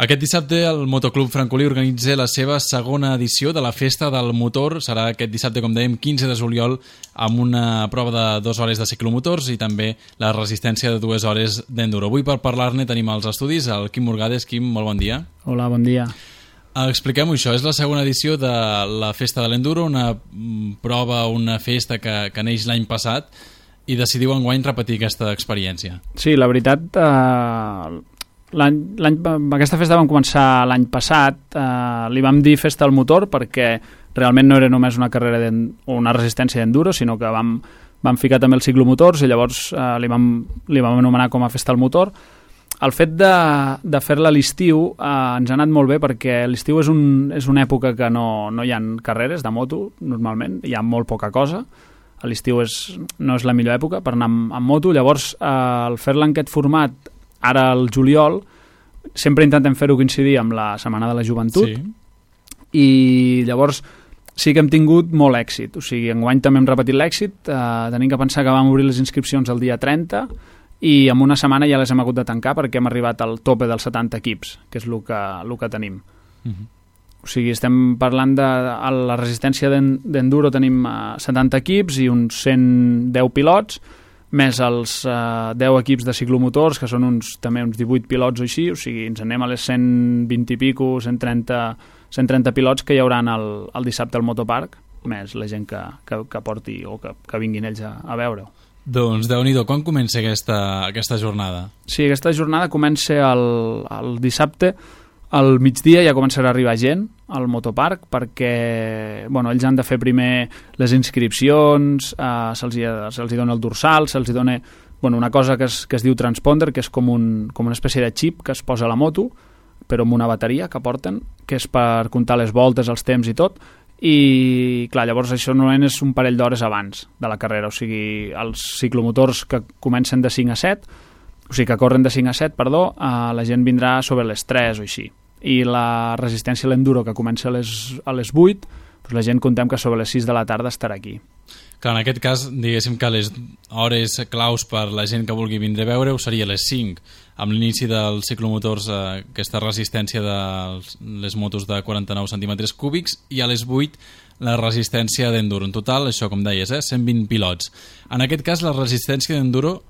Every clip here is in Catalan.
Aquest dissabte el Motoclub Francolí organitza la seva segona edició de la Festa del Motor. Serà aquest dissabte, com dèiem, 15 de juliol, amb una prova de 2 hores de ciclomotors i també la resistència de 2 hores d'enduro. Avui per parlar-ne tenim als estudis el Quim Morgades. Quim, molt bon dia. Hola, bon dia. Expliquem-ho, això és la segona edició de la Festa de l'Enduro, una prova, una festa que neix l'any passat i decidiu enguany repetir aquesta experiència. Sí, la veritat, aquesta festa vam començar l'any passat, li vam dir Festa del Motor perquè realment no era només una carrera o una resistència d'enduro, sinó que vam ficar també els ciclomotors i llavors li vam anomenar com a Festa del Motor. El fet de fer-la a l'estiu ens ha anat molt bé perquè l'estiu és una època que no hi ha carreres de moto, normalment, hi ha molt poca cosa. A l'estiu no és la millor època per anar amb moto, llavors el fer-la en aquest format, ara al juliol, sempre intentem fer-ho coincidir amb la Setmana de la Joventut, sí. I llavors sí que hem tingut molt èxit, o sigui, enguany també hem repetit l'èxit, tenim que pensar que vam obrir les inscripcions el dia 30 i en una setmana ja les hem hagut de tancar perquè hem arribat al tope dels 70 equips, que és el que tenim. O sigui, estem parlant de la resistència d'enduro, tenim 70 equips i uns 110 pilots, més els 10 equips de ciclomotors, que són també uns 18 pilots o així, o sigui, ens anem a les 120 i pico, 130 pilots que hi haurà el dissabte al Motopark, més la gent que porti o que vinguin ells a veure-ho. Doncs Déu-n'hi-do, quan comença aquesta jornada? Sí, aquesta jornada comença el dissabte, al migdia ja començarà a arribar gent al Motopark perquè ells han de fer primer les inscripcions, se'ls dona el dorsal, se'ls dona una cosa que es diu transponder, que és com una espècie de xip que es posa a la moto, però amb una bateria que porten, que és per comptar les voltes, els temps i tot, i clar, llavors això normalment és un parell d'hores abans de la carrera, o sigui, els ciclomotors que comencen de 5 a 7, o sigui, que corren de 5 a 7, la gent vindrà sobre les 3 o així, i la resistència a l'enduro que comença a les 8, doncs la gent contem que sobre les 6 de la tarda estarà aquí. Clar, en aquest cas, diguéssim que les hores claus per la gent que vulgui vindre a veure-ho seria les 5, amb l'inici dels ciclomotors, aquesta resistència de les motos de 49 centímetres cúbics, i a les 8 la resistència d'enduro. En total, això com deies, 120 pilots. En aquest cas, la resistència d'enduro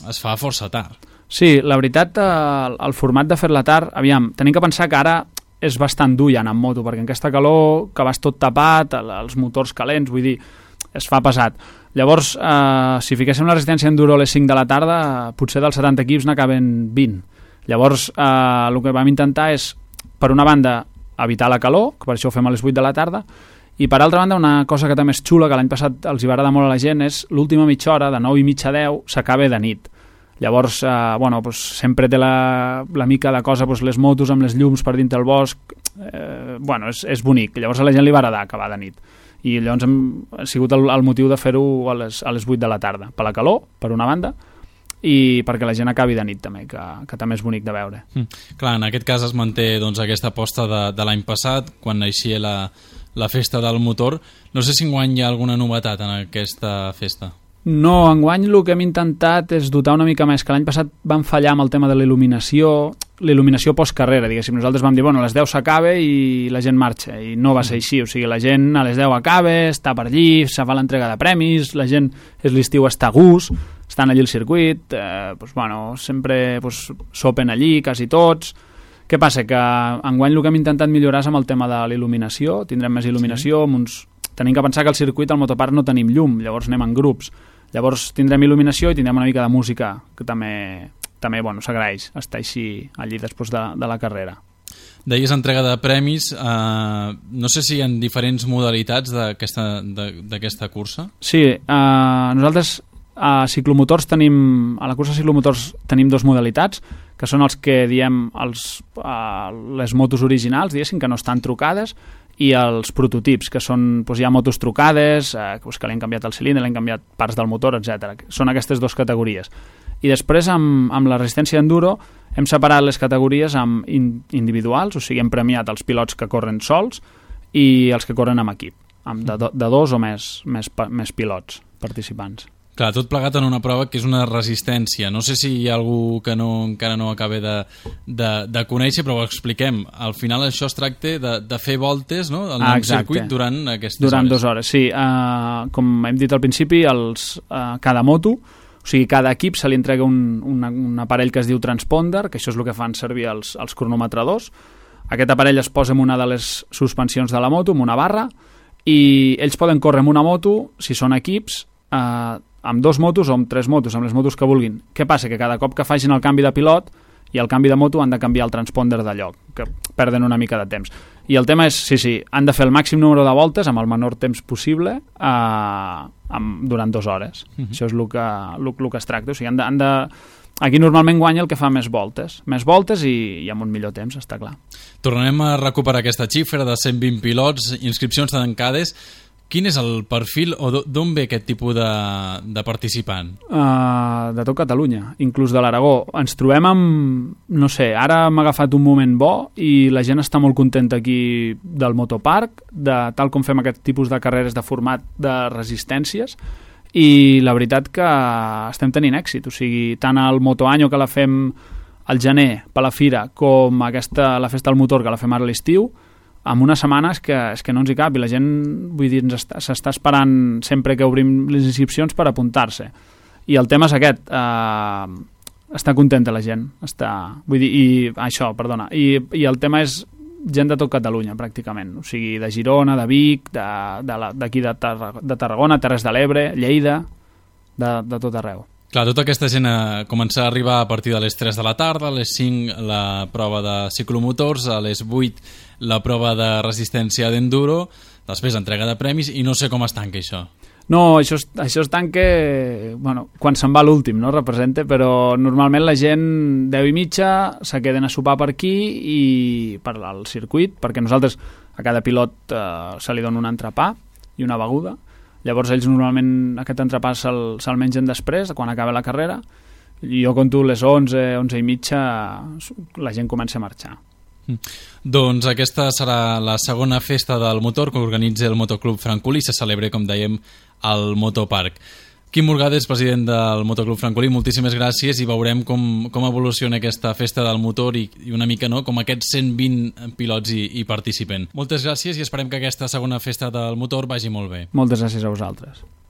es fa força tard. Sí, la veritat, el format de fer-la tard, aviam, tenim que pensar que ara és bastant dur ja anar amb moto, perquè en aquesta calor que vas tot tapat, els motors calents, vull dir, es fa pesat. Llavors, si fiquéssim la resistència enduro a les 5 de la tarda, potser dels 70 equips n'acaben 20. Llavors, el que vam intentar és, per una banda, evitar la calor, que per això ho fem a les 8 de la tarda, i per altra banda, una cosa que també és xula, que l'any passat els hi va agradar molt a la gent, és l'última mitja hora, de 9 i mitja a 10, s'acaba de nit. Llavors, sempre té la mica de cosa, les motos amb les llums per dintre el bosc, és bonic. Llavors a la gent li va agradar acabar de nit. I llavors ha sigut el motiu de fer-ho a les 8 de la tarda, per la calor, per una banda, i perquè la gent acabi de nit també, que també és bonic de veure. Clar, en aquest cas es manté aquesta aposta de l'any passat, quan naixia la festa del motor. No sé si enguany hi ha alguna novetat en aquesta festa. No, enguany el que hem intentat és dotar una mica més, que l'any passat vam fallar amb el tema de la il·luminació postcarrera, diguéssim. Nosaltres vam dir, a les 10 s'acaba i la gent marxa, i no va ser així, o sigui, la gent a les 10 acaba, està per allí, se fa l'entrega de premis, la gent l'estiu està a gust, estan allí al circuit, sempre sopen allí, quasi tots. Què passa? Que enguany el que hem intentat millorar és amb el tema de la il·luminació, tindrem més il·luminació, tenim que pensar que al circuit, al Motopark, no tenim llum, llavors anem en grups. Llavors tindrem il·luminació i tindrem una mica de música, que també s'agraeix estar així allí després de la carrera. Deies entrega de premis, no sé si hi ha diferents modalitats d'aquesta cursa? Sí, nosaltres a ciclomotors a la cursa de ciclomotors tenim 2 modalitats, que són els que diem les motos originals, diguéssim, que no estan trucades, i els prototips, que són, hi ha motos trucades, que li han canviat el cilindre, li han canviat parts del motor, etc. Són aquestes 2 categories. I després, amb la resistència d'enduro, hem separat les categories amb individuals, o sigui, hem premiat els pilots que corren sols i els que corren amb equip, de 2 o més pilots participants. Clar, tot plegat en una prova que és una resistència. No sé si hi ha algú que encara no acaba de conèixer, però ho expliquem. Al final això es tracta de fer voltes, no?, al circuit durant aquestes hores. Durant 2 hores, sí. Com hem dit al principi, cada moto, o sigui, cada equip se li entrega un aparell que es diu transponder, que això és el que fan servir els cronometradors. Aquest aparell es posa en una de les suspensions de la moto, en una barra, i ells poden córrer amb una moto, si són equips, amb 2 motos o amb 3 motos, amb les motos que vulguin. Què passa? Que cada cop que facin el canvi de pilot i el canvi de moto han de canviar el transponder de lloc, que perden una mica de temps. I el tema és, sí, han de fer el màxim número de voltes amb el menor temps possible durant 2 hores. Això és el que es tracta. O sigui, aquí normalment guanya el que fa més voltes i amb un millor temps, està clar. Tornarem a recuperar aquesta xifra de 120 pilots, inscripcions tancades. Quin és el perfil o d'on ve aquest tipus de participant? De tot Catalunya, inclús de l'Aragó. Ens trobem amb, no sé, ara m'ha agafat un moment bo i la gent està molt contenta aquí del motoparc, tal com fem aquest tipus de carreres de format de resistències, i la veritat que estem tenint èxit. O sigui, tant el Motoanyo, que la fem al gener per la fira, com la festa del motor, que la fem ara a l'estiu, en una setmana és que no ens hi cap, i la gent, vull dir, s'està esperant sempre que obrim les inscripcions per apuntar-se. I el tema és aquest, està contenta la gent, i el tema és gent de tot Catalunya, pràcticament, o sigui, de Girona, de Vic, d'aquí de Tarragona, Terres de l'Ebre, Lleida, de tot arreu. Clar, tota aquesta gent comença a arribar a partir de les 3 de la tarda, a les 5 la prova de ciclomotors, a les 8 la prova de resistència d'enduro, després entrega de premis, i no sé com es tanca això. No, això es tanca quan se'n va l'últim, no? Representa, però normalment la gent 10:30 se queden a sopar per aquí i per al circuit, perquè nosaltres a cada pilot se li dona un entrepà i una beguda. Llavors ells normalment aquest entrepà se'l mengen després, quan acaba la carrera, i jo conto les 11:30 la gent comença a marxar. Doncs aquesta serà la segona festa del motor que organitza el Motoclub Francolí i se celebra, com dèiem, al Motoparc. Quim Morgades, president del Motoclub Francolí, moltíssimes gràcies, i veurem com evoluciona aquesta festa del motor i una mica, no?, com aquests 120 pilots hi participen. Moltes gràcies i esperem que aquesta segona festa del motor vagi molt bé. Moltes gràcies a vosaltres.